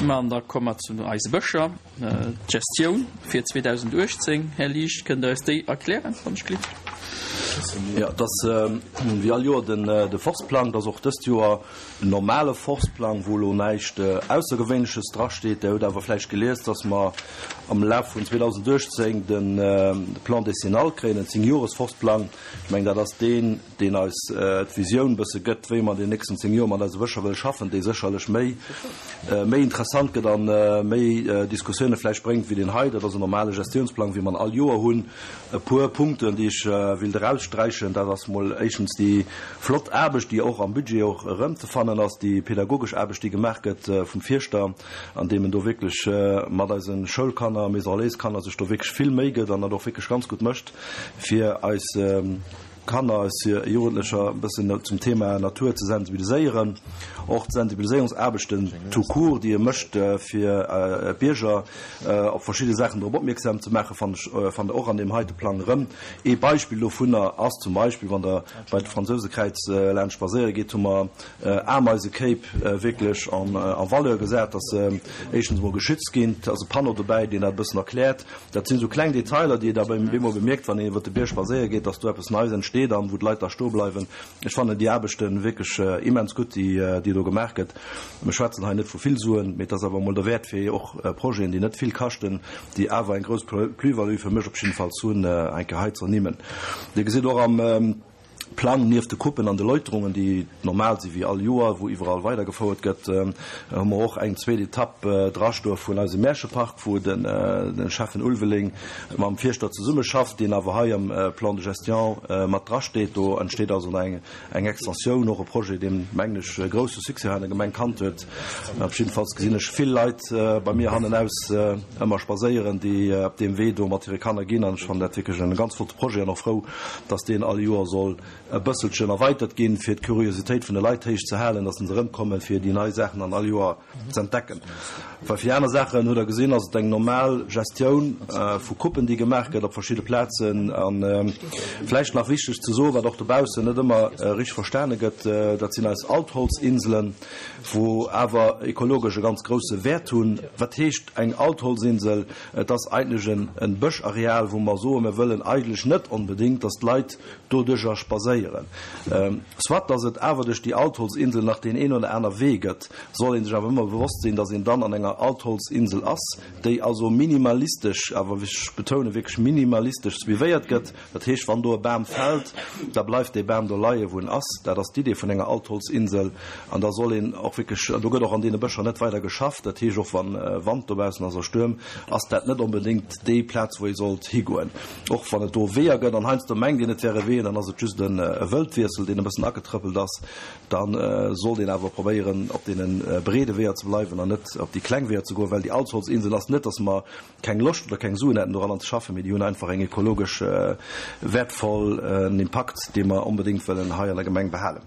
Ma an da komme mer zu eise Bëscher. D'Gestioun fir 2018, Här Liesch, kënnt Der eis déi erklären, wann ech glift? Jo, et ass wéi all Joer den de Forstplang. Et ass och dëst Joer en normale Forstplang, wou elo näischt Aussergewéinleches drasteet. Der hutt awer vläicht gelies, dass mer am Laf vun 2018 de Plan décennal kréien, en Zéngjoresforstplang. Ech mengen, dat ass deen, deen eis d'Visioun e bësse gëtt, wéi mer an den nächsten 10 Joer mat eise Bëscher wëlle schaffen, dee sécherlech méi, méi interessant gëtt a méi Diskussioune vläicht bréngt wéi deen hei. Dat ass en normale Gestiounsplang, wéi mer en all Joer hunn. E puer Punkten, déi ech wéilt eraussträichen, dat ass mol éischtens déi flott Aarbecht, déi och am Budget och erëmzefannen ass, déi pedagogesch Aarbecht, déi gemaach gëtt vum Fierschter, andeem en do wierklech mat eise Schoulkanner, Maison Relais-Kanner sech do wierklech vill Méi gëtt an dat och wierklech ganz gutt mécht, fir eis Kanner, eis Jugendlecher e bëssen zum Thema Natur ze sensibiliséieren. Och d'Sensibiliséierungsaarbechten tout court, déi e mécht, fir d'Bierger op verschidde Saachen drop opmierksam ze maachen, fannt ech, fannt Der och an deem heite Plang erëm. Ee Beispill dovunner ass zum Beispill, wann Der bei d'Fransousekräiz laanscht spadséiere geet, hu mer Ameisekéip wierklech en valeur gesat, dass se éischtens emol geschützt ginn. Et ass e Panneau dobäi, deen dat e bëssen erkläert. Dat sinn esou kleng Detailer, déi ee da bemol bemierkt, wann een iwwer de Bierg spadséiere geet, dass do eppes Neies entsteet an wou d'Leit da stoe bleiwen. Ech fannen déi Aarbechte wierklech immens gutt, déi do gemaach gëtt. Mir schwätzen hei net vu vill Suen, mee et ass awer emol derwäert, fir och Projeten, déi net vill kaschten, déi awer eng grouss Plus-value fir mech op jiddefalls hunn, eng Kéier hei ze ernimmen. Dir gesitt och am. Plang, nieft de Coupen an de Läuterungen, déi normal si wéi all Joer, wou iwwerall weidergefouert gëtt, hu mer och eng zweet Etapp drastoe vun eisem Märchepark, wou de Schäffen Ulveling mam Fierschter zesummeschafft, deen awer hei am Plan de gestion mat drasteet. Do entsteet also nach eng Extensioun, och e Projet, deen, mengen ech, e grousse Succès hei an der Gemeng kannt huet. Op jiddefalls gesinn ech vill Leit bei mir hannenaus ëmmer spadséieren, déi op deem Wee do mat hire Kanner ginn an ech fannen dat wierklech e ganz flotte Projet an och frou, dass deen all Joer soll e bësselchen erweitert ginn, fir d'Curiositéit vun de Leit héich ze halen, dass se erëmkommen, fir déi nei Saachen dann all Joer ze entdecken. Well fir déi aner Saachen, hutt Der gesinn, ass et eng normal Gestioun vu Coupen, déi gemaach gëtt op verschidde Plazen. A vläicht nach wichteg ze soen, wat och dobaussen net ëmmer richteg verstane gëtt, dat sinn eis Altholzinselen, wou awer ekologesch e ganz grousse Wäert hunn. Wat heescht eng Altholzinsel? Et ass eigentlech e Bëschareal, wou mer soen, mir wëllen eigentlech net onbedéngt, dass d'Leit doduerjer spadséieren. Soit dass et awer duerch déi Altholzinsel nach deen een oder aner Wee gëtt, soll ee sech awer ëmmer bewosst sinn, dass een dann an enger Altholzinsel ass, déi also minimalistesch, awer ech betounen wierklech minimalistesch suivéiert gëtt. Dat heescht, wann do e Bam fält, da bleift dee Bam do leien, wou en ass. Dat ass d'Idee vun enger Altholzinsel. An da soll een och wierklech, do gëtt och an deene Bëscher net weider geschafft. Dat heescht, och wa Wand dobaussen ass a Stuerm, ass dat net onbedéngt déi Plaz, wou ee sollt higoen. Och wann et do Weeër gëtt an heiansdo mengt een, et wäre Weeër, dann ass et just e Wëldwiessel, deen e bëssen agetrëppelt ass. Da sollt een awer probéieren, op deene breede Weeër ze bleiwen an net op déi kleng Weeër ze goen, well déi Altholzinsel ass net, datt mer keng Loscht oder keng Suen hätten doranner ze schaffen, mee déi hunn einfach eng ekologesch wäertvoll en Impakt, dee mer onbedéngt wëllen hei an der Gemeng behalen.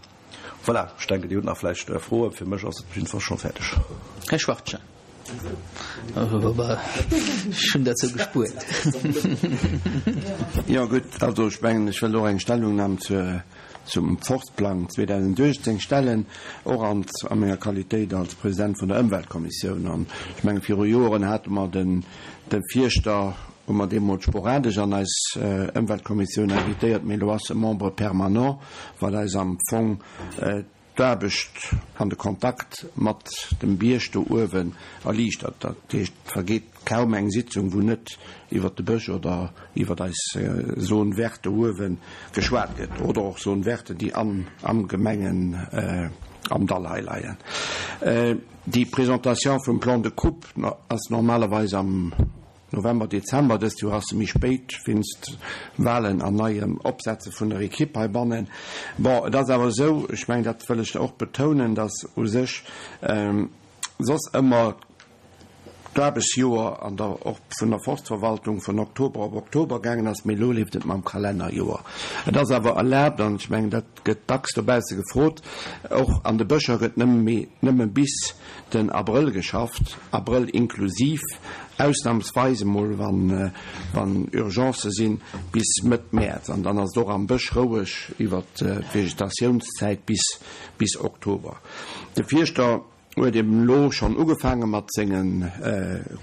Voilà, ech denken, Dir hutt nach vläicht Froen. Fir mech ass et op jiddefalls scho fäerdeg. Här Schwachtgen. Ech hunn dat sou gespuert. Jo, gutt, also ech mengen, ech wëll och eng Stellungnam zur zum Forstplang 2018 stellen, och an a menger Qualitéit als President vun der Ëmweltkommissioun. An ech menge viru Joren hate mer den de Fierschter, hu mer deemools sporadesch an eis Ëmweltkommissioun invitéiert, mee elo ass e Membre permanent, wat eis am Fong d'Aarbecht an de Kontakt mat dem Bierg do uewen erliichtert. Dat heescht, et vergeet kaum eng Sitzung, wou net iwwert de Bësch oder iwwert eis Zone verte do uewe geschwat gëtt oder och Zone verte, déi am am Gemengen am Dall hei leien. Déi Presentation vum Plan de coupe ass normalerweis am November, Dezember, dëst Joer ass se méi spéit wéinst Walen an neiem Opsetze vun der Ekipp heibannen. Bon, et ass awer esou, ech mengen, dat wëll ech och betounen, datt u sech soss ëmmer d'Aarbechtsjoer an der och vun der Forstverwaltung vun Oktober op Oktober gaangen ass, mee elo leeft et mam Kalennerjoer. Et ass awer erlaabt, an ech mengen, dat gëtt dacks dobausse gefrot, och an de Bëscher gëtt nëmme méi nëmme bis den Abrëll geschafft, Abrëll inklusiv, ausnamsweis emol wann wann Urgencë sinn, bis Mëtt Mäerz. An dann ass et och am Bësch roueg iwwert d'Vegetatiounszäit bis bis Oktober. De Fierschter. huet eben elo schonn ugefaange mat senge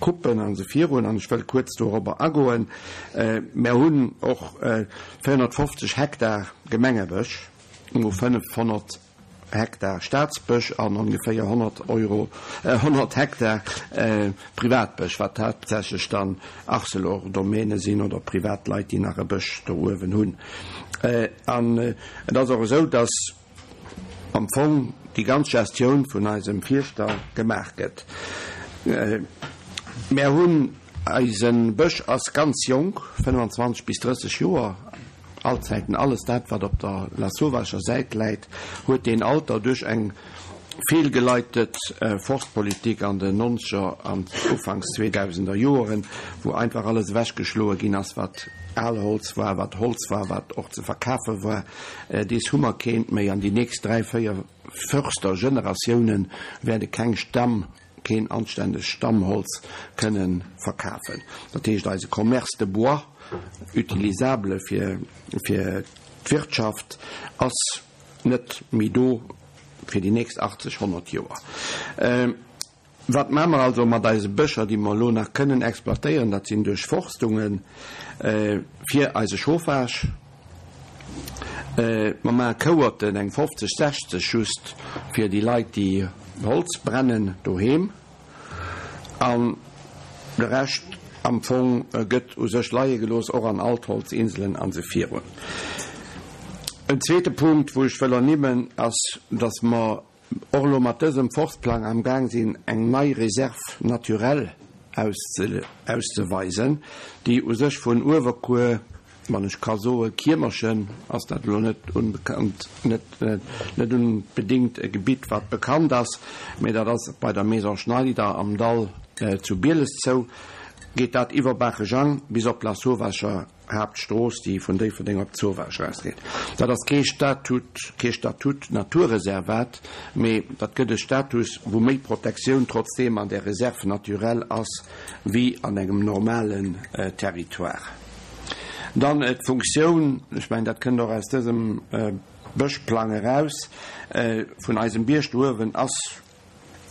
Coupen an esou virun, an ech wëll kuerz dorobber agoen. Mär hunn och 450 Hektar Gemengebësch, no 500 Hektar Staatsbësch an ongeféier 100 Euro, 100 Hektar Privatbësch, wat haaptsächlech dann Arcelor-Domäne sinn oder privat Leit, déi nach e Bësch do uewen hunn. An et ass och esou, dass am Fong déi ganz Gestioun vun eisem Fierschter gemaach gëtt. Mär hunn, eise Bësch ass ganz jonk, 25 bis 30 Joer, allzäiten alles dat wat op der Lasauvage Säit läit, huet deen Alter duerch eng feelgeleitet Forstpolitik an den nonzeger an ufanks zweedausender Joeren, wou einfach alles ewechgeschloe ginn ass wat al Holz war, wat Holz war, wat och ze verkafe war. Dees hu mer keent méi an déi nächst dräi, véier Förstergeneratiounen wäerte keng Stamm, keen anstännegt Stammholz kënnen verkafen. Dat heescht, eise Commerce de bois utilisable fir fir d'Wirtschaft ass net méi do fir déi nächst 80, 100 Joer. Wat maache mer also mat eise Bëscher, déi mer elo nach kënnen exploitéieren? Dat sinn Duerchforstunge fir eise Chauffage. Mer maache Kouerten, eng 50, 60 just fir déi Leit, déi Holz brennen doheem. An de Rescht am Fong gëtt u sech leie gelooss, och an Altholzinselen a sou virun. En zweete Punkt, wou ech wëll ernimmen, ass, dass mer och elo mat dësem Forstplang am Gaang sinn, eng nei Réserve naturelle auszeweisen, déi u sech vun Uewerkuer, wann ech ka soe Kiemerchen, ass dat elo net unbekannt, net net unbedéngt e Gebitt, wat bekannt ass, mä dat ass bei der Maison Schneider am Dall zu Bieles zou, geet dat iwwer Baachejang bis op Lasauvage. Haaptstrooss, déi vun Déifferdeng op d'Zowaasch erausgeet. Dat ass kee Statut, kee Statut Naturreservat, mee dat gëtt e Status, wou méi Protektioun trotzdeem an där Réserve naturelle ass wéi an engem normalen Territoire. Dann d'Funktioun, ech mengen, dat kënnt och aus dësem Bëschplang eraus, vun eisem Bierg do uewen ass,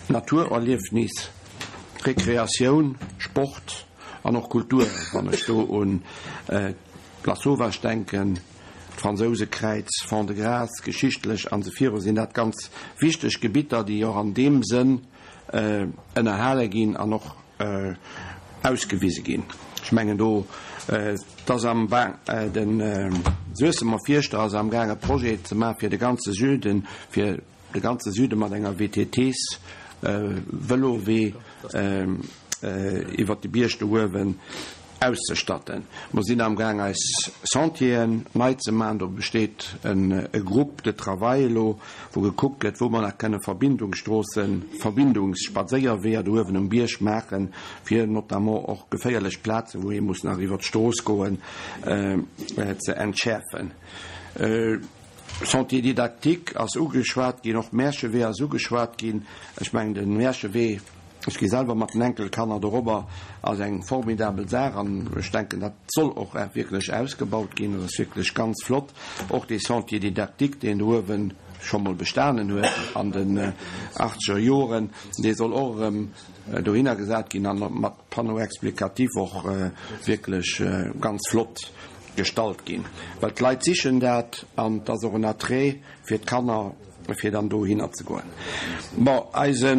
Naturerliefnis, Rekreatioun, Sport an och Kultur, wann ech do un d'Lasauvage denken, d'Fransousekräiz, Fond-de-Gras, geschichtlech an esou viru sinn dat ganz wichteg Gebitter, déi och an deem Sënn ënnerhale ginn an och ausgewise ginn. Ech mengen do, et ass am de Suessemer Fierschter ass amgaang e Projet ze maache fir de ganze Süden, fir De ganze Süde mat enger WTTs Vëlowee iwwert de Bierg do uewen auszestatten. Mer sinn am gaang eis Sentieren nei ze maachen. Do besteet e Groupe de travail elo, wou gekuckt gëtt, wou mer nach kënne Verbindungsstroossen, Verbindungsspadséierweeër do uewen um Bierg maachen, fir notamment och geféierlech Plazen, wou ee muss nach iwwert d'Strooss goen, ze entschäerfen. Sentier didactique ass ugeschwat ginn, och Märchewee ass ugeschwat ginn. Ech mengen, de Märchewee, ech gi selwer mat den Enkelkanner dorobber, ass eng formidabel Saach an ech denken, dat soll och wierklech ausgebaut ginn. Dat ass wierklech ganz flott. Och dee Sentier didactique, deen do uewe scho mol bestanen huet an den achtzeger Joren, dee soll och erëm dohinner gesat ginn an mat Panneau explicatif och wierklech ganz flott gestallt ginn, well d'Leit sichen dat an et ass och en Attrait fir d'Kanner, fir dann dohinner ze goen. Bon, eise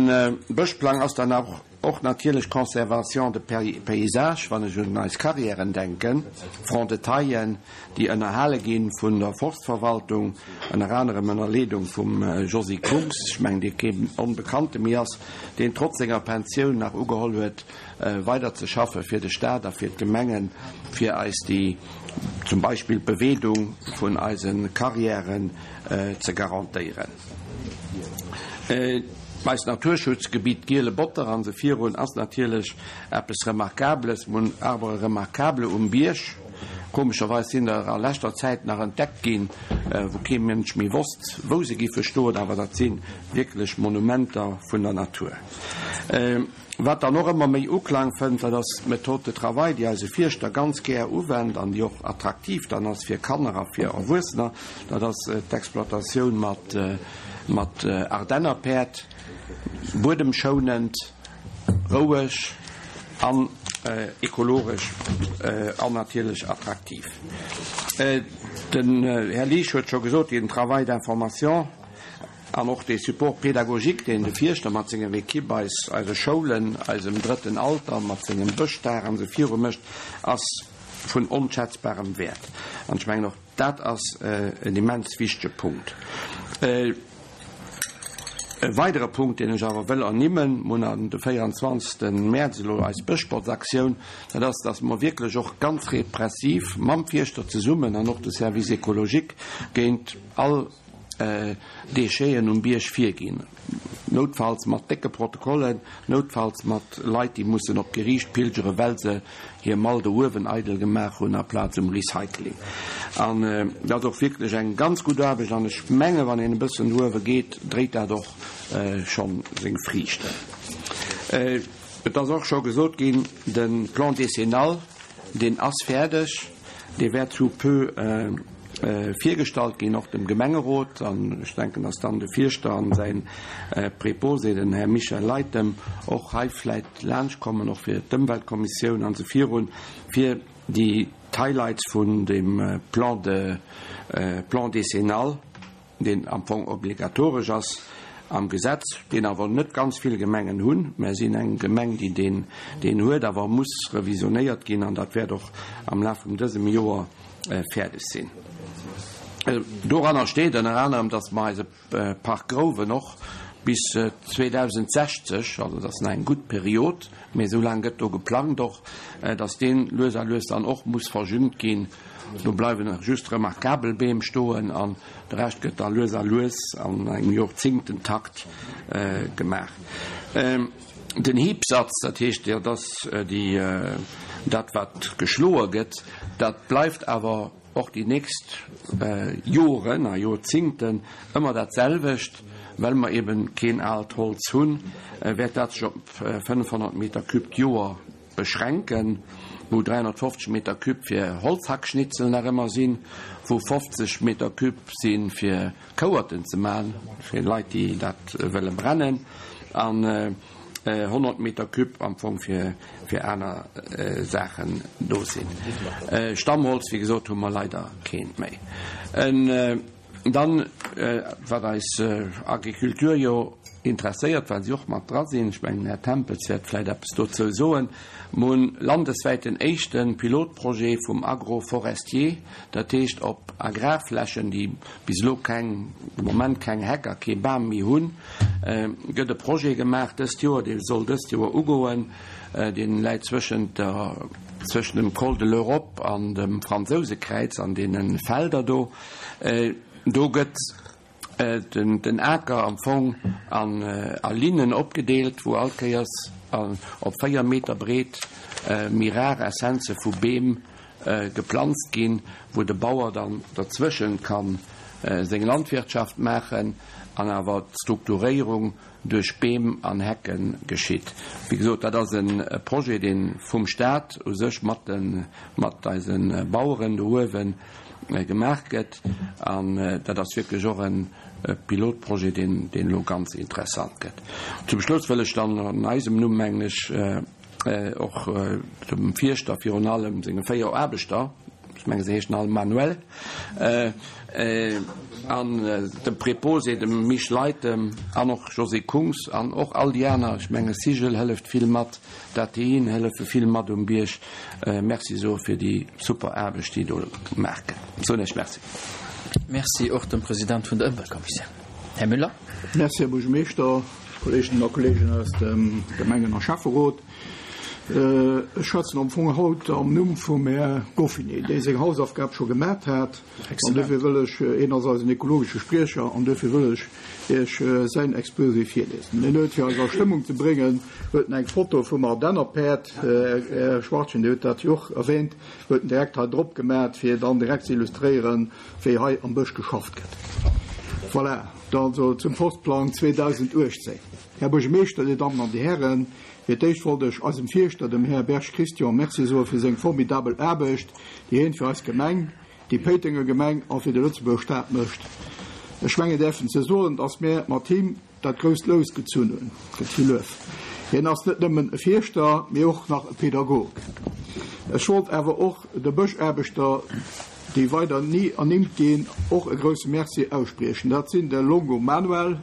Bëschplang ass dann och och natierlech Conservation de paysage, wann ech un eis Carrièren denken, Fonds de taillen, déi ënnerhale gi vun der Forstverwaltung, ënner anerem ënner Leedung vum Josy Kungs, ech mengen, dee keen Onbekannte méi ass, deen trotz senger Pensioun nach ugeholl huet, weider ze schaffe fir de Staat a fir d'Gemengen, fir eis déi, zum Beispill d'Beweedung vun eise Carrièren ze garantéieren. Eist Naturschutzgebitt Giele Botter an esou virun ass natierlech eppes Remarkables. Mir hunn Arbres remarquables um Bierg. Komescherweis sinn der a leschter Zäit nach entdeckt ginn, wou kee Mënsch méi wosst, wou se giffe stoen, awer dat si wierklech Monumenter vun der Natur. Wat dann och ëmmer méi Uklang fënnt, dat ass d'Méthode de travail, déi eise Fierschter ganz gär uwennt an déi och attraktiv dann ass fir Kanner a fir Erwuessener. Dat ass d'Exploitatioun mat Ardennerpäerd. Buedemschounend, roueg an ekologesch an natierlech attraktiv. Den Här Liesch huet scho gesot, deen Travail d'information an och dee Support pédagogique, deen de Fierschter mat senger Equipe eis, eise Schoulen, eisem drëtten Alter mat sengem Bëschdag an esou viru mécht, ass vun onschätzbarem Wäert. An ech mengen och dat ass en immens wichtege Punkt. E weidere Punkt, deen ech awer wëll ernimmen, mir hunn an de 24. Mäerz elo eis Bëschbotzaktioun, dat ass, dass mer wierklech och ganz repressiv mam Fierschter zesummen an och de Service écologique géint all Décheten um Bierg virginn, noutfalls mat décke Protokollen, noutfalls mat Leit, déi mussen op d'Geriicht pilgeren, well se hir Mall do uewen eidel gemaach hunn aplaz um Recycling. An dat ass och wierklech eng ganz gutt Aarbecht an ech menge wann een e bëssen do uewe geet, dréit dat och scho seng Friichten. Et ass och scho gesot ginn, de Plan décennal, deen ass fäerdeg. Dee wäert sous peu virgestallt ginn, och dem Gemengerot. An ech denken, dass dann de Fierschter an säi Préposé, den Här Michel Leytem, och hei vläit laanschtkommen, och fir d'Ëmweltkommissioun an esou virun, fir déi d'Highlights vun dem Plan de, Plan décennal, deen am Fong obligatoresch ass am Gesetz, deen awer net ganz vill Gemengen hunn. Mär sinn eng Gemeng, déi deen, deen huet, awer muss revisionéiert ginn, an dat wäert och am Laf vum dësem Joer fäerdeg sinn. Doranner steet ënner anerem, dass mer eise Park Grouwen och bis 2060, also dat ass nach eng gutt Period, mee esou laang gëtt do geplangt och, dass deen lues a lues dann och muss verjüngt ginn. Do bleiwen nach just remarkabel Beem stoen an de Rescht gëtt da lues a lues an engem Jorzingtentakt gemaach. Den Hiebsatz, dat heescht, dat ass déi, dat wat geschloe gëtt, dat bleift awer och déi nächst Joren a Jorzingten ëmmer dat selwecht, well mer eben keen aalt Holz hunn, wäert dat sech op 500 Meter cube d'Joer beschränken, wou 350 Meter cube fir Holzhackschnitzel nach ëmmer sinn, wou 50 Meter cube si fir Kouerten ze man, fir Leit déi dat wëlle brennen, an 100 Meter cube am Fong fir fir aner Saachen do sinn. Stammholz, wéi gesot, hu mer leider keent méi. Dann, wat eis Agriculture jo interesséiert, well si och mat dra sinn, ech mengen, den Här Tempels wäert vläicht eppes dozou soen, Mer hunn landeswäit den éischte Pilotprojet vum Agroforestier, dat heescht op Agrarflächen, déi bis elo keng, de Moment keng Heck a kee Bam méi hunn, gëtt e Projet gemaach dëst Joer, dee soll dëst Joer ugoen, dee läit zwëschent der, zwëschent dem Col de l'Europe an dem Fransousekräiz an deene Felder do. Do gëtt den Aker am Fong a Linnen opgedeelt, wou all Kéiers op 4 Meter breet méi rar Essenze vu Beem geplanzt ginn, wou de Bauer dann derzwëschent ka seng Landwirtschaft maachen an awer d'Strukturéierung duerch Beem an Hecke geschitt. Wéi gesot, dat ass e Projet, dee vum Staat u sech mat de mat eise Baueren do uewe gemaach gëtt. An dat ass wierklech och e Pilotprojet, deen deen elo ganz interessant gëtt. Zum Schluss wëll ech dann an eisem Numm, mengen ech, och dem Fierschter virun allem senge 4 Aarbechter, ech menge se heeschen all Manuel, an dem Préposé, dem Mich Leytem an och Josée Kungs an och all déi aner, ech menge Sigel hëlleft vill mat, d'ATIen hëllefe vill mat um Bierg, Merci soe fir déi super Aarbecht, déi do gemaach gëtt. Soen Iech Merci. Merci och dem President vun der Ëmweltkommissioun. Här Müller. Merci, Här Buergermeeschter, Kolleeginnen a Kolleegen aus dem Gemengen a Schäfferot. Ech schwätzen am Fong haut am Numm vum Här Goffinet, dee seng Hausaufgab scho gemat hat. An dofir wëll ech, hien ass eisen ekologesche Spriecher, an dofir wëll ech Iech säin Exposé virliesen. Hien huet, fir eis a Stëmmung ze bréngen, huet en eng Foto vum Ardennerpäerd, Här Schwachtgen, Dir hutt dat jo och erwähnt, huet en direkt hei drop gemat, fir dann direkt ze illustréieren, wéi hei am Bësch geschafft gëtt. Voilà, dann also zum Forstplang 2018. Här Buergermeeschter, Dir Dammen an Dir Hären, fir d'éischt wollt ech eisem Fierschter, dem Här Berg Christian, Merci soe fir seng formidabel Aarbecht, déi hien fir eis Gemeng, déi Péitenger Gemeng a fir de Lëtzebuerger Staat mécht. Ech menge däerfen ze soen, dass mär mat him. dat grousst Lous gezunn hunn. Gëtt vill Luef. Hien ass net nëmmen e Fierschter, mee och nach e Pedagog. Ech wollt awer och de Bëschaarbechter, déi weider ni ernimmt ginn, och e grousse Merci ausspriechen. Dat sinn de Longo Manuel,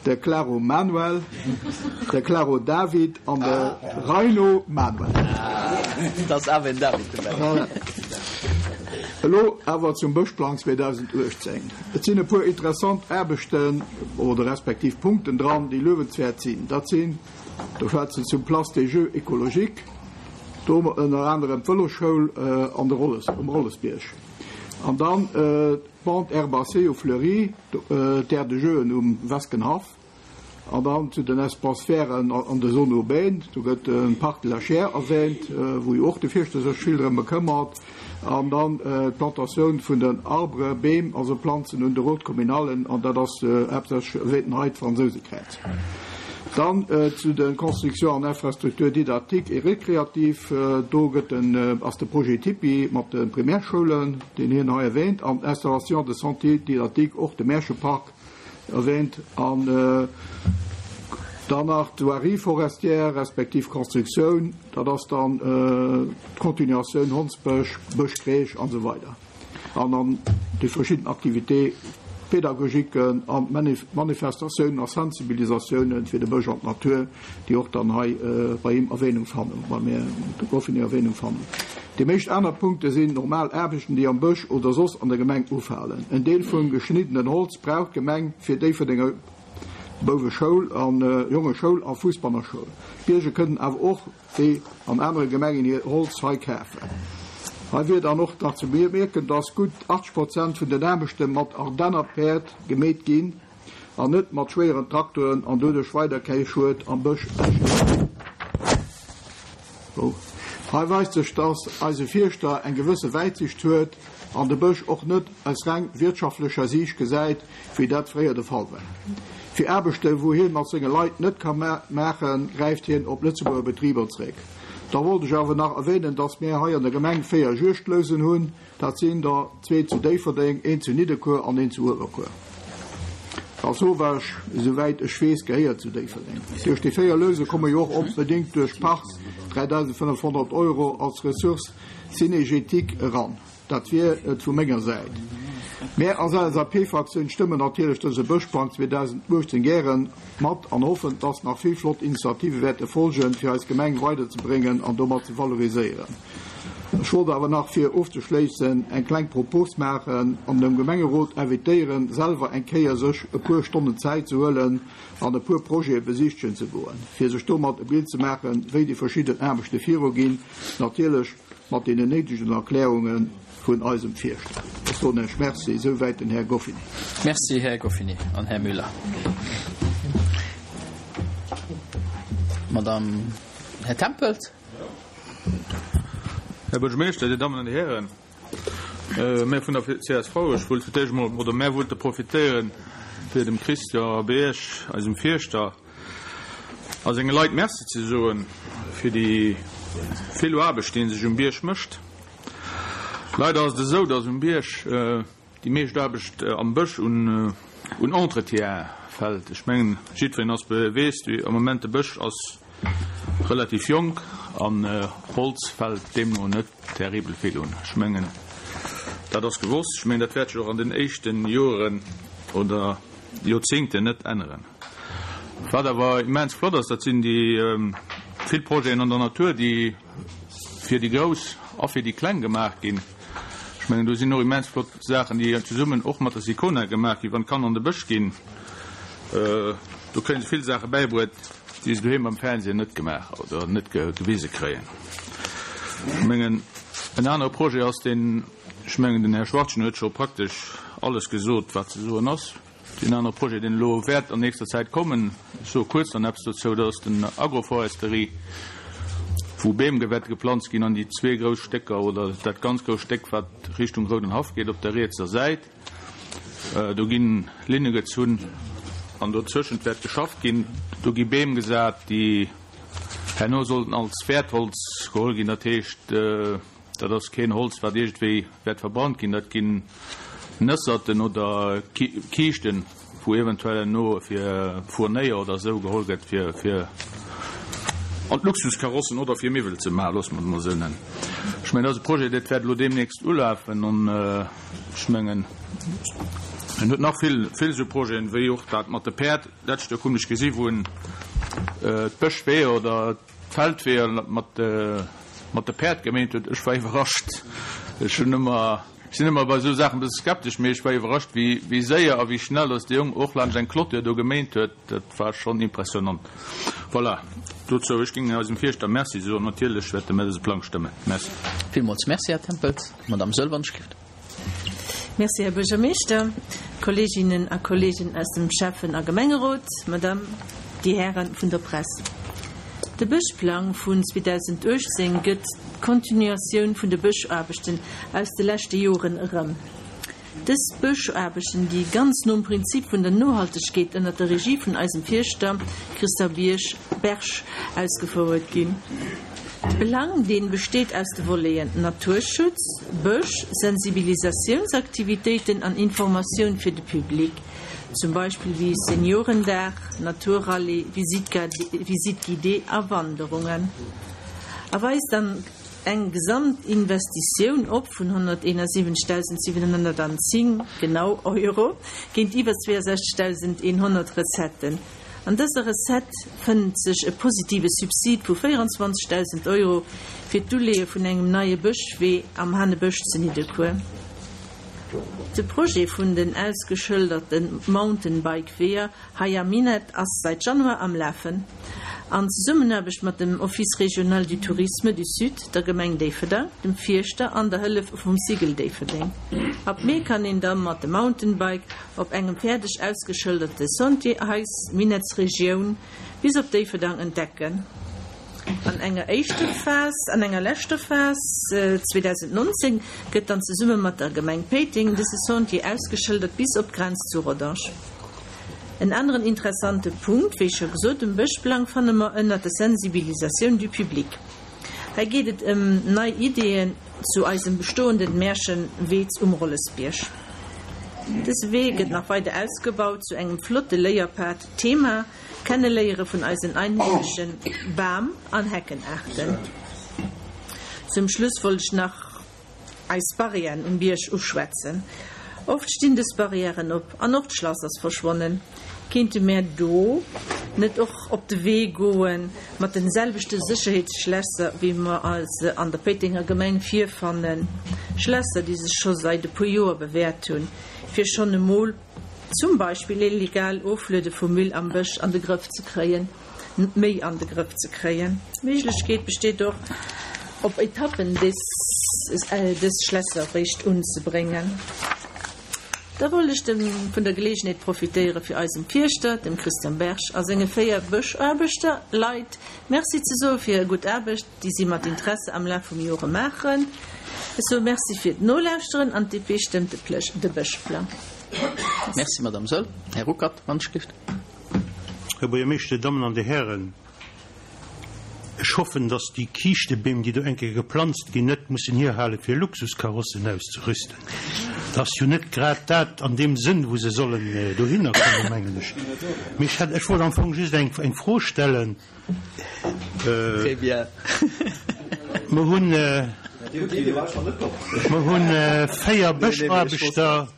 de Claro Manuel, de Claro David an de Reino Manuel. Et ass awer en David dobäi. Voilà. Elo awer zum Bëschplang 2018. Et sinn e puer interessant Aarbechten oder respektiv Punkten dran, déi luewenswäert sinn. Dat sinn, do schwätzen ech zum Place des Jeux écologiques, do hu mer ënner anerem d'Vëlosschoul an de Rolles, um Rollesbierg an dann d'Bande herbacée u Fleury, d'Aire de jeuxen um Weskenhaff. An dann zu den Espaces verts an de Zones urbaines, do gëtt de Parc de la Chiers erwähnt, wou jo och de Fierschter sech vill drëm bekëmmert, an dann d'Plantatioun vun den Arbres, Beem, also Planzen un de Routes communales, an dat ass haaptsächlech erwähnten hei d'Fransousekräiz. Dann zu de Constructions an Infrastructures didactiques et récréatives, do gëtt den, ass de Projet Tipi mat de Primärschoulen, deen hien hei erwähnt, an d'Installation de sentiers didactiques, och de Märchepark, Erwähnt an dann nach d'Voirie forestière respektiv Constructioun, dat ass dann d'Continuatioun Hondsbësch, Bëschkreech an esou weider an dann déi verschidden Activités pédagogiques an Manifestatiounen a Sensibilisatiounen fir de Bësch an d'Natur. déi och dann hei bei him Erwähnung fannen, beim Här Goffinet Erwähnung fannen. Déi meescht aner Punkte sinn normal Aarbechten, déi am Bësch oder soss an der Gemeng ufalen. En Deel vum geschniddenen Holz brauch d'Gemeng fir Déifferdenger Bouweschoul an Jongeschoul a Fussbannerschoul. D'Bierger kënnen awer och, wéi an anere Gemengen, hir Holz hei kafen. Hei wier dann och nach ze bemierken, dass gutt 80 Prozent vun den Aarbechte mat Ardennerpäerd gemeet ginn. an net mat schwéieren Traktoren an doduerch weider kei Schued am Bësch entsteet. Hei weist sech, dass eise Fierschter eng gewësse Wäitsicht huet an de Bësch och net aus reng wirtschaftlecher Siicht gesäit, wéi dat fréier de Fall war. Fir Aarbechte wou hien mat senge Leit net ka maachen, gräift hien op Lëtzebuerger Betriber zréck. Da wollt ech awer nach erwähnen, dass mär hei an der Gemeng 4 Juegdlousen hunn, Dat sinn der zwee zu Déifferdeng, een zu Nidderkuer an een zu Uewerkuer. Lasauvage, esouwäit ech weess, gehéiert zu Déifferdeng. Duerch déi 4 Louse komme jo och, bedéngt duerch d'Part, 3.500 Euro als Ressource cynégétique eran. Dat wier et vu menger Säit. Mär als LSAP-Fraktioun stëmmen natierlech dëse Bëschplang 2018 gären mat an hoffen, dass nach vill flott Initiative wäerte folgen, fir eis Gemeng weiderzebréngen an domat ze valoriséieren. Ech wollt awer nach fir ofzeschléissen eng kleng Propos maachen an dem Gemengerot invitéieren, selwer eng Kéier sech e puer Stonnen Zäit ze huelen an e puer Projete besichtegen ze goen, fir sech domat e Bild ze maachen, wéi déi verschidden Aarbechte viruginn, natierlech mat deenen néidegen Erklärunge vun eisem Fierschter. Ech soen Iech Merci. Esouwäit den Här Goffinet. Merci, Här Goffinet an Här Müller. Madame, Här Tempels. Här Buergermeeschter, Dir Dammen an Dir Hären, mär vun der csv, ech wollt fir d'éischt emol, oder mär wollte profitéieren, fir dem Christian Bierg, eisem Fierschter, a senge Leit Merci ze soen fir déi vill Aarbecht, déi en sech um Bierg mécht. Leider ass et esou, dass um Bierg déi meescht Aarbecht am Bësch un Entretien fält. Ech mengen, jiddwereen ass weess, am Moment de Bësch ass relativ jonk an Holz fält deemno net terribel vill un. Ech mengen, dat ass gewosst. Ech mengen, dat wäert sech och an den éischte Joren oder Joerzéngten net änneren. Wat awer immens flott ass, dat sinn déi vill Projeten an der Natur, déi fir déi Grouss a fir déi Kleng gemaach ginn. Ech mengen, do sinn och immens flott Saachen, déi zesummen och mat der Sicona gemaach ginn, wann d'Kanner an de Bësch ginn. Do kréie se vill Saache bäibruet, déi se doheem am Fernsehen net gemaach oder net gewise kréien. Ech mengen, en anere Projet ass deen, ech mengen, den Här Schwachtgen huet scho praktesch alles gesot, wat ze soen ass. Deen anere Projet, deen elo wäert an nächster Zäit kommen, ech soe kuerz dann eppes dozou, dat ass den Agroforesterie, wou Beem wäerte geplanzt ginn an déi zwee grouss Stécker oder dat ganz grouss Stéck, wat Richtung Roudenhaff geet op der rietser Säit. Do gi Linne gezunn an dozwëschent wäert geschafft ginn. Do gi Beem gesat, déi herno sollten als Wäertholz geholl ginn. Dat heescht, dat ass keen Holz, wat iergendwéi wäert verbrannt ginn. Dat ginn Nësserten oder Kiischten. wou eventuell herno fir Fournéier oder esou geholl gëtt fir fir an d'Luxuskarossen oder fir Miwwel ze maachen, loosse mer et emol esou nennen. Ech mengen, dat ass e Projet, dat wäert elo deemnächst ulafen an ech mengen, en huet nach vill, vill esou Projeten, wéi och dat mat de Päerd. D'lescht Joer krut ech gesi wou en d'Bëschweeër oder d'Feldweeër mat mat de Päerd geméint huet. Ech war iwwerrascht. Ech hunn ëmmer, ech sinn ëmmer bei esou Saachen e bësse skeptesch, mee ech war iwwerrascht, wéi wéi séier a wéi schnell datt de Jong och laanscht eng Clôture do geméint huet. Dat war schonn impressionnant. Voilà, dozou. Ech géing eisem Fierschter Merci soen. Natierlech wäerte mir dëse Plang stëmmen. Merci. Villmools Merci, Här Tempels. Madamm Sëlwer-Schlicht. Merci, Här Buergermeeschter, Kolleeginnen a Kolleegen aus dem Schäffen a Gemengerot, Madame, déi Häre vun der Press. De Bëschplang vun 2018 gëtt d'Kontinuatioun vun de Bëschaarbechten aus de leschte Joren erëm. Dës Bëschaarbechten, déi ganz nom Prinzip vun der Nohaltegkeet ënnert der Regie vun eisem Fierschter Christian Bierg, Berg ausgefouert ginn. De Plang, dee besteet aus de Voleten Naturschutz, Bësch, Sensibilisatiounsaktivitéiten an Informatioun fir de Public, zum Beispill wéi Seniorendag, Naturrallye, Visite guidée a Wanderungen, a weist an eng Gesamtinvestitioun op vun 171.710 genau Euro géintiwwer 62.100 Recetten. An dëser Recette fënnt sech e positive Subsid vu 24.000 Euro fir d'Uleeë vun engem neie Bëschwee am Hanebësch zu Nidderkuer. De Projet vun den ausgeschëlderte Mountainbike-Weeër hei am Minett ass säit Januar am Lafen. An Zesummenaarbecht mat dem Office régional du tourisme du Sud, der Gemeng Déifferdang, dem Fierschter an der Hëllef vum Cigl Déifferdeng. Ab Mee kann een da mat dem Mountainbike Op engem fäerdeg ausgeschëlderte Sentier eis Minettsregioun bis op Déifferdang entdecken. An enger éischter Phas, an enger leschter Phas 2019 gëtt dann zesumme mat der Gemeng Péiteng dëse Sentier ausgeschëldert bis op d'Grenz zu Rodange. En aneren interessante Punkt, wéi scho gesot, um Bëschplang fanne mer ënnert der Sensibilisatioun du public. Hei geet et ëm nei Ideeën zu eisem bestoenden Märchenwee um Rollesbierg. Dëse Wee gëtt nach weider ausgebaut zu engem flotte Léierpad. Thema, Kenneléiere vun eisen einheemesche Bam an Heckenaarten. Zum Schluss wollt ech nach eis Barrièren um Bierg uschwätzen. Oft stinn dës Barrièren op an och d'Schlass ass verschwonnen. Kéinte mär do net och op de Wee goen mat den selwechte Sécherheetsschlässer wéi mer se an der Péitenger Gemeng virfannen? Schlässer déi sech scho seit e puer Joer bewährt hunn, fir schonn emol zum Beispill illegal Ofluede vu Müll am Bësch an de Grëff ze kréien. méi an de Grëff ze kréien. D'Méiglechkeet besteet och, op Etappen dës Schlässer eréischt unzebréngen. Da wollt ech vun der Geleegenheet profitéiere fir eisem Fierschter, dem Christian Berg, a senge 4 Bëschaarbechter, Leit, Merci ze soe fir hir gutt Aarbecht, déi si mat Interesse am Laf vum Jore maachen. Ech soe Merci fir d'Nolauschteren an d'DP stëmmt de Bëschplang. Merci, Madame Saeul. Här Ruckert, wann ech gelift. Här Buergermeeschter, Dir Dammen an Dir Hären, ech hoffen, dass déi Kiischtebeem, déi do eng Kéier geplanzt ginn, net mussen hierhale fir Luxuskarossen auszerüsten. Dat ass jo net grad dat an deem Sënn, wou se sollen dohinner kommen, mengen ech. Mee ech hätt, ech wollt am Fong just eng, eng Fro stellen. Très bien. Mer hunn, mer hunn 4 Bëschaarbechter.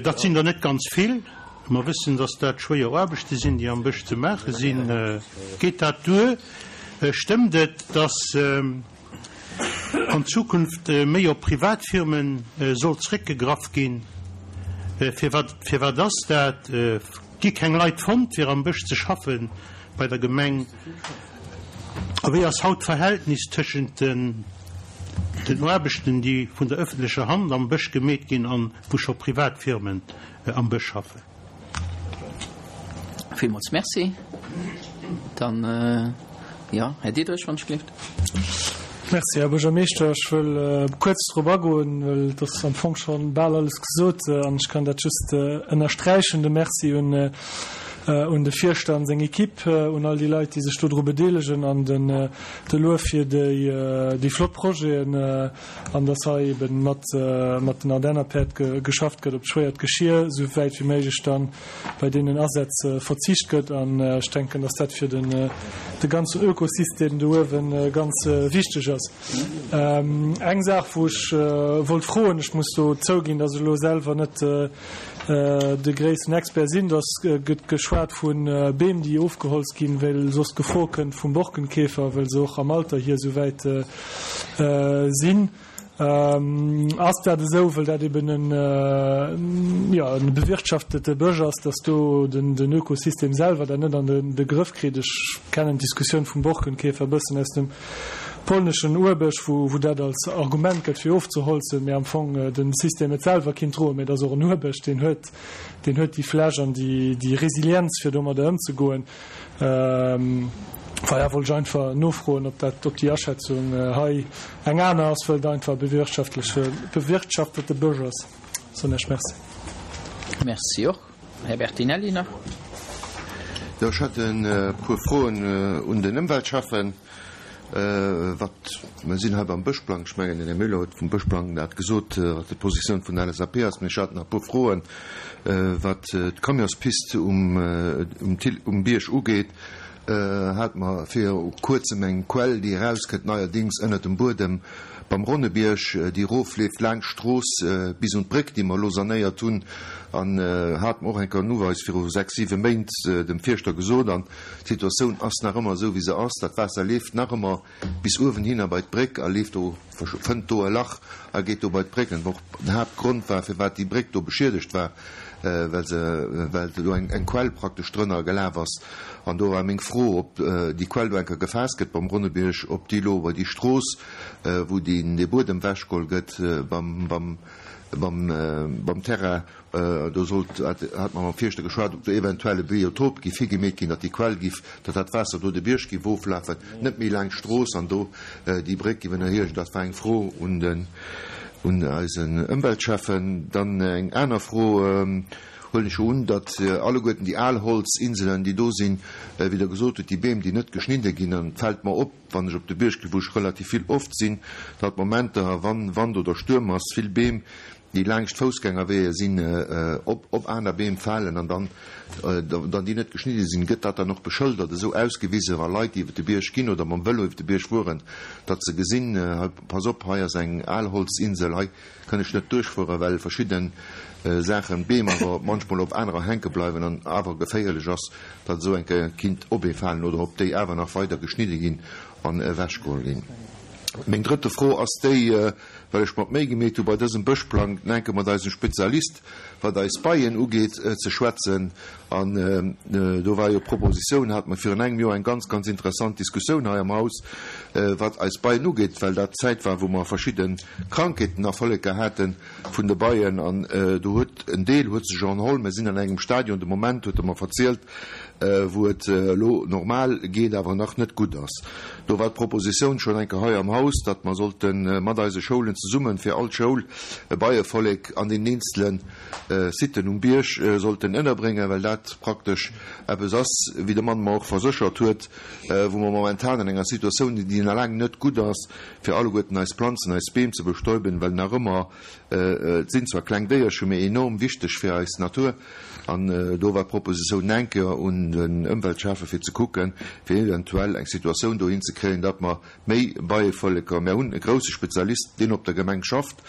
Dat sinn der net ganz vill. Mer wëssen, datt dat schwéier Aarbechte sinn, déi am Bësch ze maache sinn. Geet dat duer? Stëmmt et, datt an Zukunft méi op Privatfirme soll zréckgegraff ginn? Firwat, firwat ass dat? Gi keng Leit fonnt, fir am Bësch ze schaffe bei der Gemeng? A wéi ass haut d'Verhältnis tëschent den Aarbechten, déi vun der ëffentlecher Hand am Bësch gemeet ginn an wou scho privat Firmen am Bësch schaffen? Villmools Merci. Dann, jo, Här Diderich, wann ech gelift. Merci, Här Buergermeeschter. Ech wëll kuerz drop agoen, well et ass am Fong scho bal alles gesot an ech kann dat just ënnersträichen, de Merci un. un de Fierschter an seng Equipe, un all déi Leit, déi sech dodru bedeelegen an den de Luef fir déi déi flott Projeten an dass hei eben mat mat den Ardennerpäerd geschafft gëtt, op d'schwéiert Geschir esou wäit wéi méiglech dann bei deenen Asätz verzicht gëtt an ech denken, dass dat fir den de ganzen Ökosystem do uewe ganz wichteg ass. Eng Saach wou ech wollt froen, ech muss do zouginn, dass ech elo selwer net de gréissten Expert sinn, dass gëtt geschwat vu Beem déi ofgeholzt ginn, well soss d'Gefor kënnt vum Borkenkäfer, well se och am Alter hier esou wäit sinn. Ass dat esou, well dat eben en, jo, en bewirtschaftete Bësch ass, dass do den, den Ökosystem selwer dat net an de Grëff kritt? Ech kennen d'Diskussioun vum Borkenkäfer e bëssen aus dem polneschen Urbësch, wou, wou dat als Argument gëtt fir ofzeholzen, mee am Fong de System et selwer kinnt droen. Mee et ass och en Urbësch, deen huet, deen huet déi Fläch an déi, déi Resilienz fir domadder ëmzegoen. Voilà, wollt ech einfach nofroen, ob dat, ob déi Aschätzung hei eng aner ass, wëll et einfach e bewirtschaftleche, bewirtschaftete Bësch ass. Soen ech Merci. Merci och. Här Bertinelli nach. Jo, ech hätt e puer Froen un den Ëmweltschäffen. Wat, mer sinn hei beim Bëschplang, ech mengen, den Här Müller huet vum Bëschplang dat gesot, wat déi Positioun vun der LSAP ass. Mee ech hat nach e puer Froen, wat d'Camionspist um, um Thill, um Bierg ugeet. Hate mer viru Kuerzem eng Quell, déi erauskënnt neierdings ënnert dem Buedem beim Ronnebierg, déi erofleeft laanscht d'Strooss bis un d'Bréck, déi mer elo sanéiert hunn. An hate mer och eng Kéier en Uweis viru sechs, siwe Méint dem Fierschter gesot. An D'Situatioun ass nach ëmmer esou wéi se ass. Dat Waasser leeft nach ëmmer bis uewenhinner bei d'Bréck a leeft do, fënnt do e Lach a geet do bei d'Bréck. An och den Haaptgrond war, firwat déi Bréck do beschiedegt war, well se, well do eng eng Quell praktesch drënner gelaf ass. An do war meng Fro, ob déi Quell do eng Kéier gefaasst gëtt beim Ronnebierg, ob déi elo bei déi Strooss, wou deen, dee Buedem ewechgeholl gëtt beim, beim, beim, beim Terrain, Do sollt, hat mer mam Fierschter geschwat, ob do eventuell e Biotop giff higemeet ginn, datt déi Quell giff, datt dat Waasser do de Bierg giff oflafen, net méi laangscht d'Strooss an do déi Bréck giff ënnerhiechen. Dat war eng Fro un den, un eisen Ëmweltschäffen. Dann eng aner Fro, Huelen ech jo un, datt alleguerten déi al Holzinselen, déi do sinn, wéi Der gesot hutt, déi Beem, déi net geschnidde ginn, an et fält mer op, wann ech op de Bierg ginn, wou ech relativ vill oft sinn, datt Momenter, wann Wand oder Stuerm ass, vill Beem, déi laangscht Foussgängerweeër sinn, op op aner Beem falen an dann, dann déi net geschnidde sinn, gëtt dat dann och beschëldert, esou ausgewise wa Leit, déi iwwer de Bierg ginn oder mam Vëlo iwwer de Bierg fueren, datt se gesinn, hei, pass op, hei ass eng Alholzinsel, hei kann ech net duerchfueren, well verschidde Saachen, Beem awer manchmol op anerer hänke bleiwen an awer geféierlech ass, datt esou eng Kéier kinnt op ee falen oder ob déi awer nach weider geschnidde ginn an ewechgeholl ginn. Meng drëtte Fro ass déi, well ech mer d'Méi gemeet hu bei dësem Bëschplang enke mat eisem Spezialist, wat eis Beien ugeet, ze schwätzen. An do war jo d'Propositioun, hate mer virun engem Joer eng ganz, ganz interessant Diskussioun hei am Haus, wat eis Beien ugeet, well dat d'Zäit war, wou mer verschidde Krankheeten a Volleker hate vun de Beien. An do huet en Deel huet sech erholl. Mer sinn an engem Stadion de Moment, huet e mer verzielt, wou et elo normal geet, awer nach net gutt ass. Do war d'Propositioun schonn eng Kéier hei am Haus, datt mer sollte mat eise Schoulen zesummen fir all Schoul e Beievollek an den eenzele Siten um Bierg sollten ënnerbréngen, well dat praktesch eppes ass, wéi de Mann mer och verséchert huet, wou mer momentan an enger Situatioun sinn, déi nach laang net gutt ass, fir alleguerten eis Planzen, eis Beem ze bestäuben, well nach ëmmer, et sinn zwar kleng Déierchen, mee enorm wichteg fir eis Natur. An do war d'Propositioun eng Kéier un den Ëmweltschäffe fir ze kucken, fir eventuell eng Situatioun dohin ze kréien, datt mer méi Beievölleker, mer hunn e grousse Spezialist, deen op der Gemeng schafft,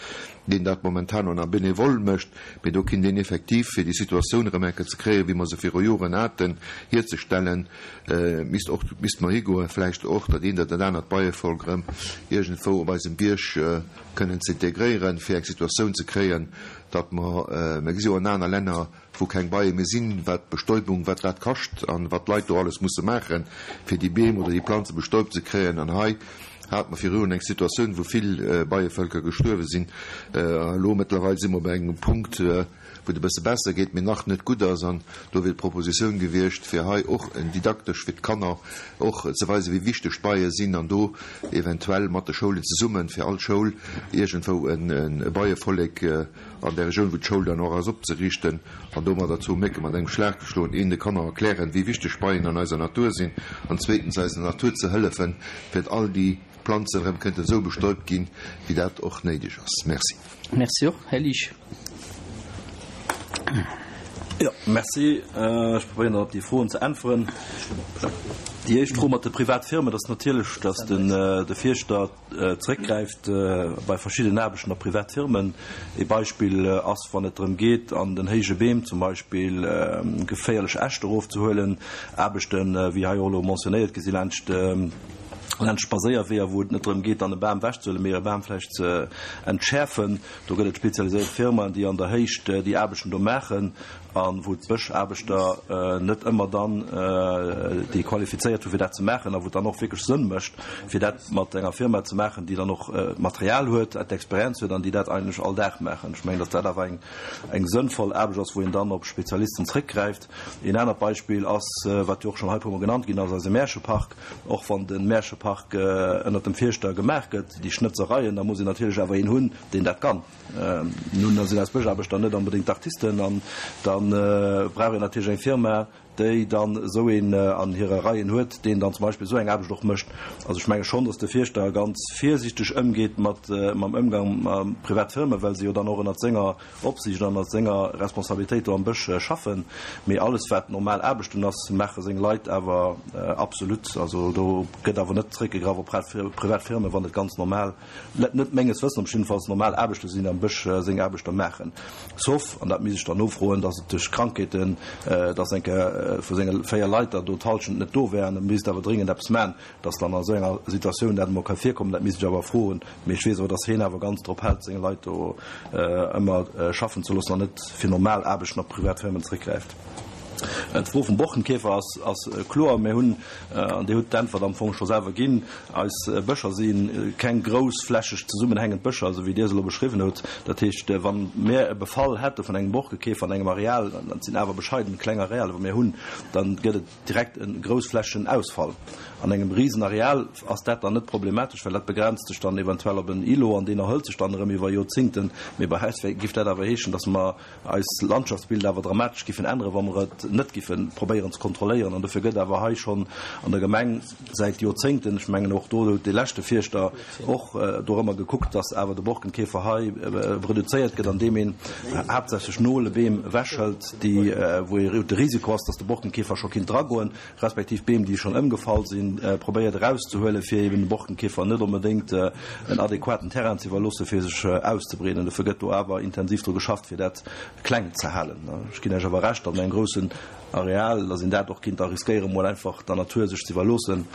deen dat momentan och nach bénévole mécht, mee do kinnt een effektiv, fir déi Situatioun erëm eng Kéier ze kréien, wéi mer se viru Joren haten, hierzestellen, misst och, misste mer higoen, vläicht och dat eent oder dat anert Beievolk erëm iergendwou op eisem Bierg kënnen ze integréieren, fir eng Situatioun ze kréien, datt mer, mer gesi jo an aner Länner, wou keng Beie méi sinn, wat d'Bestäubung, wat dat kascht an wat d'Leit do alles musse maachen, fir déi Beem oder déi Planze bestäubt ze kréien. An hei hate mer viru Joren eng Situatioun, wou vill Beievölker gestuerwe sinn. Elo mëttlerweil si mer bei engem Punkt, wou. wou et e bësse besser geet, mee nach net gutt ass. An do wier d'Propositioun gewiescht, fir hei och en didaktesch fir d'Kanner och ze weisen, wéi wichteg d'Beie sinn an do eventuell mat de Schoulen zesummen, fir all Schoul iergendwou e Beievollek an där Regioun, wou d'Schoul dann och ass, opzeriichten an domadder zwou Mécke mat engem Schlag ze schloen, een de Kanner erklären, wéi wichteg Beien an eiser Natur sinn an zweetens eiser Natur ze hëllefen, fir all déi Planzen erëm kënnten esou bestäubt ginn, wéi dat och néideg ass. Merci. Merci och, Här Liesch. Jo, merci. Ech probéieren dann op déi Froen ze äntweren. Déi éischt Fro mat de Privatfirmen, dat ass natierlech, datt den de Fierschter zeréckgräift bei verschiddenen Aarbechten op privat Firmen. Ee Beispill ass, wann et drëm geet, an den héije Beem zum Beispill geféierlech Äscht erofzehuelen, Aarbechten, wéi hei och elo mentionnéiert gi si laanscht laanscht Spadséierweeër, wou et net drëm geet, dann e Bam ewechzehuelen, mee e Bam vläicht ze entschäerfen. Do gëtt et spezialiséiert Firmaen, déi an der Héicht déi Aarbechten do maachen a wou d'Bëschaarbechter net ëmmer dann déi qualifizéiert hu fir dat ze maachen a wou et dann och wierklech Sënn mécht, fir dat mat enger Firma ze maachen, déi dann och d'Material huet, d'Experienz huet an déi dat eigentlech all Dag maachen. Ech mengen, datt dat awer eng eng sënnvoll Aarbecht ass, wou een dann op Spezialisten zréckgräift. Een anert Beispill ass, wat jo och schonn hei e puermol genannt ginn ass, eise Märchepark. Och wann de Märchepark ënnert dem Fierschter gemaach gëtt, déi Schnëtzereien, da muss een natierlech awer een hunn, deen dat kann. Nun sinn eis Bëschaarbechter net onbedéngt d'Artisten an da brauch een natierlech eng Firma, déi dann esou een an hire Reien huet, deen dann zum Beispill esou eng Aarbecht och mécht. Also ech menge schonn, datt de Fierschter ganz virsiichteg ëmgeet mat mam Ëmgang mat Privatfirmen, well se jo dann och ënnert senger Opsiicht an ënnert senger Responsabilitéit do am Bësch schaffen. Mee alles wat normal Aarbechten ass, maache seng Leit awer absolut. Also do gëtt awer net zréckgegraff op privat Firmen, wann et ganz normal, net menges Wëssens op jiddefalls, normal Aarbechte sinn, déi am Bësch seng Aarbechter maachen. Sauf, an dat misst ech dann nofroen, datt et duerch Krankheeten, datt eng Kéier vu senge 4 Leit der do d'Hallschent net do wär an e misst awer dringend eppes man, Dass dann a sou enger Situatioun dat emol ka virkommen, dat misst ech awer froen. Mee ech weess awer, dass heen awer ganz drop hält, seng Leit do ëmmer schaffen ze loossen an net fir normal Aarbechten op privat Firmen zréckgräift. D'Fro vum Borkenkäfer ass, ass kloer. Mir hunn, an Dir hutt d'Äntwert am Fong scho selwer ginn, eis Bëscher si keng groussflächeg zesummenhängend Bëscher, esou wéi Dir se elo beschriwwen hutt. Dat heescht, wa mir e Befall hätte vun engem Borkekäfer an engem Areal, dat sinn awer bescheiden kleng Arealer, wou mir hunn, dann gëtt et Direkt e groussflächegen Ausfall an engem Risenareal ass dat dann net problematesch, well dat begrenzt sech dann eventuell op en Îlot an deen erhëlt sech dann erëm iwwer Joerzingten. Mee bei eis giff dat awer heeschen, datt mer eis Landschaftsbild awer dramatesch giffen änneren, wa mer et net giffe probéieren ze kontrolléieren. An dofir gëtt awer hei schonn an der Gemeng säit Joerzéngten, ech mengen och do huet dee leschte Fierschter och dorëmmer gekuckt, datt awer de Borkenkäfer hei reduzéiert gëtt, andeem een haaptsächlech Nolebeem ewechhëlt, déi, wou ee de Risiko ass, datt de Borkenkäfer scho kinnt dragoen, respektiv Beem, déi schonn ëmgefall sinn, probéiert erauszehuelen, fir eben dem Borkenkäfer net onbedéngt en adequaten Terrain ze iwwerloossen, fir sech auszebreeden. Dofir gëtt do awer intensiv dru geschafft, fir dat kleng ze halen. Ech ginn Iech awer Recht, datt an engem groussen Areal, datt een dat och kinnt da riskéieren, emol einfach der Natur sech ze iwwerloossen,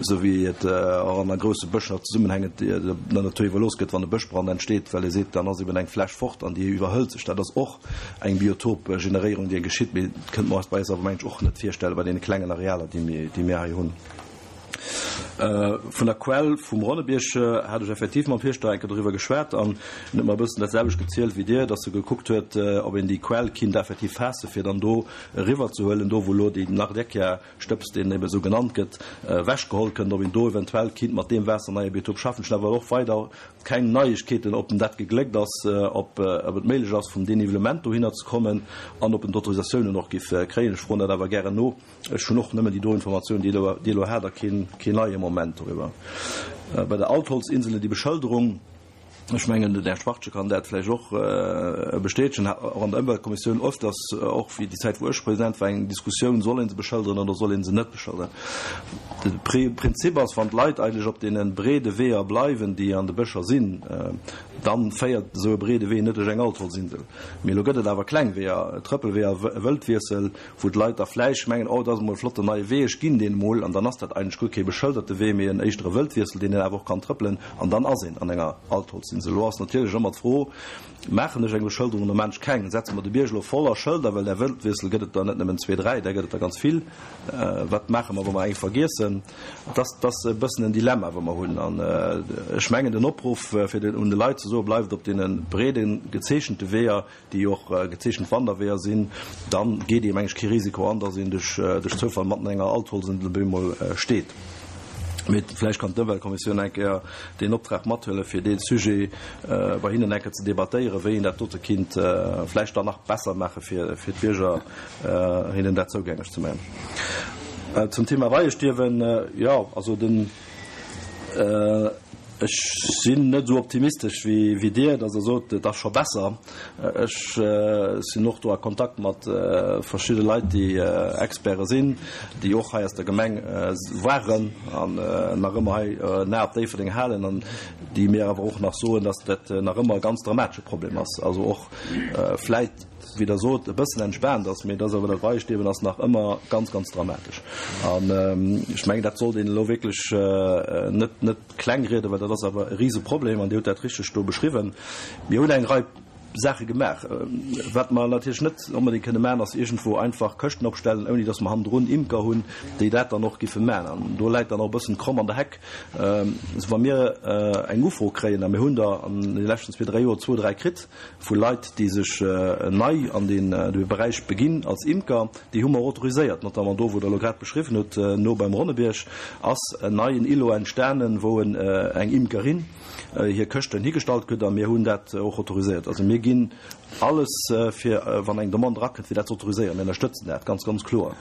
esou wéi et och an a grousse Bëscher zesummenhängend der Natur iwwerlooss gëtt, wann e Bëschbrand entsteet, well ee seet, dann ass eben eng Fläch fort an déi iwwerhëlt sech. Dat ass och eng Biotopgeneréierung, déi geschitt, mee dat kënnte mer eis bei eis awer, mengen ech, och net virstellen, bei deene klengen Arealer, déi mir hei hunn. Vun der Quell vum Ronnebierg hat ech effektiv mam Fierschter eng Kéier doriwwer geschwat an en huet mer e bëssen dat selwecht gezielt wéi Dir, dass e gekuckt huet, ob een déi Quell kinnt effektiv faasse fir dann do eriwwer ze huelen, do wou elo déi Nardecchia-Stëbs, deen ebe sou genannt gëtt, ewechgeholl kënnt, ob een do eventuell kinnt mat deem Waasser neie Biotop schaffen. Ech hunn awer och weider keng Neiegkeeten, ob en dat gegléckt ass, ob et méiglech ass vum Dénivelement dohinner ze kommen an ob en d'Autorisatiounen och giff kréien. Ech froen dat awer gären no. Ech hunn och nëmmen déi do Informatioun, déi Dir elo hat, a keen neie Moment doriwwer. Bei der Altholzinsel, déi Beschëlderung, ech mengen, den Här Schwachtgen kann dat vläicht och bestätegen, hat och an der Ëmweltkommissioun öfters, och wéi déi Zäit wou ech President war, eng Diskussioun, soll ee se beschëlderen oder soll ee se net beschëlderen. De Prinzip ass, wann d'Leit eigentlech op deene breede Weeër bleiwen, déi an de Bëscher sinn, da féiert esou e breede Wee net duerch eng Altholzinsel. Mee elo gëtt et awer kleng Weeër, Trëppelweeër, Wëldwiessel, wou d'Leit da vläicht mengen, oh, dat ass emol e flotten neie Wee, ech ginn deen emol, an dann ass dat eigentlech guer kee beschëlderte Wee, mee en éischter e Wëldwiessel, deen een awer och kann trëppelen, an dann ass een an enger Altholzinsel. sinn se. Elo ass natierlech ëmmer d'Fro, Maachen ech eng Beschëlderung oder maan ech keng? Setze mer de Bierg elo voller Schëlder, well där Wëldwiessel gëtt et der net nëmmen zwee, dräi, där gëtt et der ganz vill. Wat maache mer, wa mer eng vergiessen? Dat ass e bëssen en Dilemma, wou mer hunn. An ech mengen, den Opruff fir den un de Leit ze soen, Bleift op deene breede gezeechente Weeër, déi och gezeechent Wanderweeër sinn, da geet ee, meng ech, kee Risiko an, dass een duerch Zoufall matten an enger Altholzendel bemol steet. Mee vläicht kann d'Ëmweltkommissioun eng Kéier deen Optrag mathuelen, fir dee Sujet bei hinnen eng Kéier ze debattéieren, wéi een dat dote kinnt vläicht dann nach besser maache fir d'Bierger, hinnen dat zougänglech ze maachen. Zum Thema Beiestierwen, jo, also den. Ech sinn net esou optimistesch wéi Dir, datt Der sot, et ass scho besser. Ech sinn och do a Kontakt mat verschidde Leit, déi Experte sinn, déi och hei aus der Gemeng waren an nach ëmmer hei en A op Déifferdeng halen an déi mir awer och nach soen, datt dat nach ëmmer e ganz dramatesche Problem ass. Also och vläit, wéi Der sot, e bëssen entspaant ass, mee dass awer dat Weiestierwen ass nach ëmmer ganz, ganz dramatesch. An ech mengen, dat sollt een elo wierklech net, net klengrieden, well dat ass awer e Riseproblem an Dir hutt dat richteg do beschriwwen. Mir hunn eng Rei Saache gemaach. Wat mer natierlech net onbedéngt kënne maachen, ass iergendwou einfach Këschten opstellen, ouni dass mer hannendrun Imker hunn, déi dat dann och giffe maachen. An do läit dann och e bëssen d'Kromm an der Heck. Also wa mir eng Ufro kréien, a mir hunn der an de leschten zwee, dräi Joer zwou, dräi kritt, vu Leit, déi sech nei an dee Beräich beginn als Imker, déi hu mer autoriséiert, notamment do, wou Der elo grad beschriwwen hutt, no beim Ronnebierg ass en neien Îlot entstanen, wou eng Imkerin hir Këschten higestallt kritt, a mir hunn dat och autoriséiert. Also mir ginn alles, fir, wann eng Demande erakënnt, fir dat ze autoriséieren. Mir ënnerstëtzen dat ganz, ganz kloer.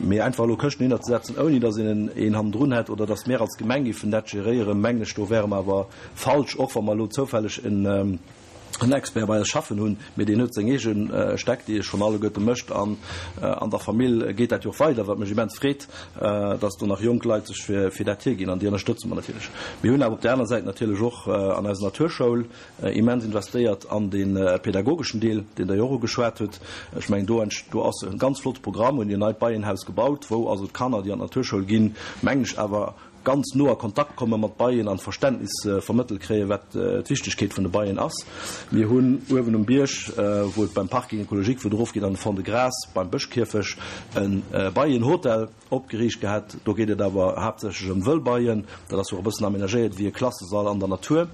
Mee einfach elo Këschten hinnerzesetzen, ouni datt een een hannendrun hätt oder datt mir als Gemeng géifen dat geréieren, mengen ech, do wäre mer awer falsch, och wa mer elo zoufälleg en Expert bei eis schaffen hunn, mee deen huet seng eege Stäck, déi e schonn alleguerte mécht an an der Famill geet dat jo och weider, wat mech immens freet, dass do nach jonk Leit sech fir dat hierginn an déi ënnerstëtze mer natierlech. Mir hunn awer op där aner Säit natierlech och an eiser Naturschoul immens investéiert an dee pedagogeschen Deel, deen Der jo och ugeschwat hutt. Ech mengen, do do ass e ganz flotte Programm, hunn en neit Beienhaus gebaut, wou also d'Kanner, déi an d'Naturschoul ginn, mengen ech awer, ganz no a Kontakt komme mat Beien an Verständnis vermëttelt kréien, wat d'Wichtegkeet vun de Beien ass. Mir hunn uewen um Bierg, wou et beim Parking écologique, wou et erofgeet an de Fond-de-Gras, beim Bëschkierfech e Beienhotel opgeriicht gehat. Do geet et awer haaptsächlech ëm Wëllbeien. Dat ass och e bëssen amenagéiert wéi e Klassesall an der Natur.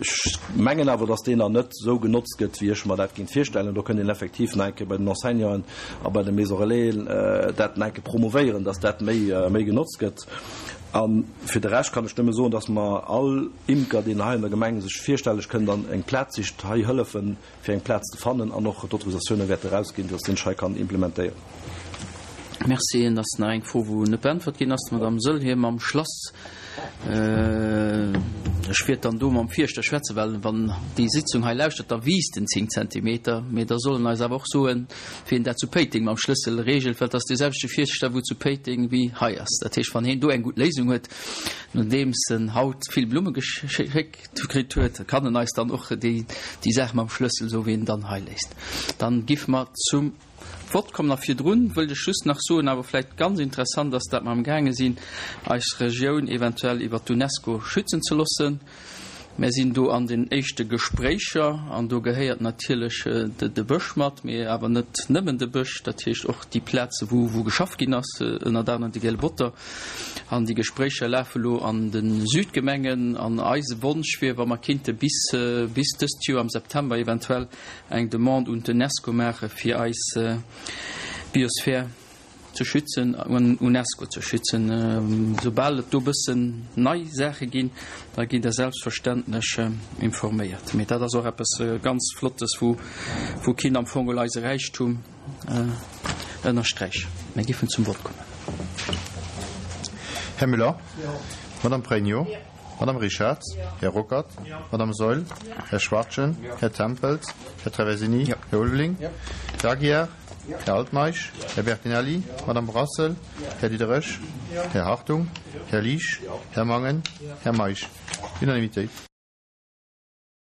Ech mengen awer, dass deen nach net esou genotzt gëtt, wéi ech mer dat géing virstellen. Do kënnt een effektiv nach eng Kéier bei den Enseignanten a bei de Maisons Relaisen dat nach eng Kéier promouvéieren, dass dat méi, méi genotzt gëtt. A fir de Rescht kann ech nëmme soen, dass mer all Imker, deen hei an der Gemeng sech virstelleg kënnt an eng Plaz sicht, hei hëllefen, fir eng Plaz ze fannen an och d'Autorisatioune wäerte erausginn, dass deen Schei kann implementéieren. Merci. Et ass nach eng Fro, wou net beäntwert ginn ass, d'Madame Saeul mam Schlass. Ech wäert dann do mam Fierschter schwätzen, well wann déi Sitzung hei lauschtert, da wiisst en 10 Zentimeter. Mee da soll en eis awer och soen, wien dat zu Péiteng mam Schlëssel regelt, well et ass dee selwechte Fierschter, wou zu Péiteng wéi hei ass. Dat heescht, wann heen do eng gutt Léisung huet, nodeems en haut vill Blumme geschéckt kritt huet, kann en eis dann och déi Saach mam Schlëssel soen, wéi en dann hei léist. Dann giffe mer zum Vott kommen. A virdrun wëllt ech just nach soen, awer vläicht ganz interessant ass, dat mer amgaange sinn, eis Regioun eventuell iwwer d'UNESCO schützen ze loossen. Mär sinn do an den éischte Gespréicher an do gehéiert natierlech de Bësch mat, mee awer net nëmmen de Bësch, dat heescht och déi Plaze wou wou geschafft ginn ass, ënnert anerem de Gele Botter. An déi Gespréicher lafe lo an de Südgemengen an eise Wonsch wier, wa mer kinnte bis bis dëst Joer am September eventuell eng Demande un d'UNESCO maache fir eis Biosphär ze schützen, UNESCO ze schützen. Soubal et do bëssen nei Saache ginn, da gitt Der selbstverständlech informéiert. Mee dat ass och eppes ganz Flottes, wou wou kinnt am Fong geholl eise Räichtum ënnersträichen. Mir giffen zum Vott kommen. Här Müller? Madame Pregno? Madame Richarz? Här Ruckert? Madame Saeul? Här Schwachtgen? Här Tempels? Här Traversini? Här Ulveling? Här Aguiar? Här Altmeisch, Här Bertinelli, Madame Brassel, Här Diderich, Här Hartung, Här Liesch, Här Mangen, Här Meisch. Unanimitéit.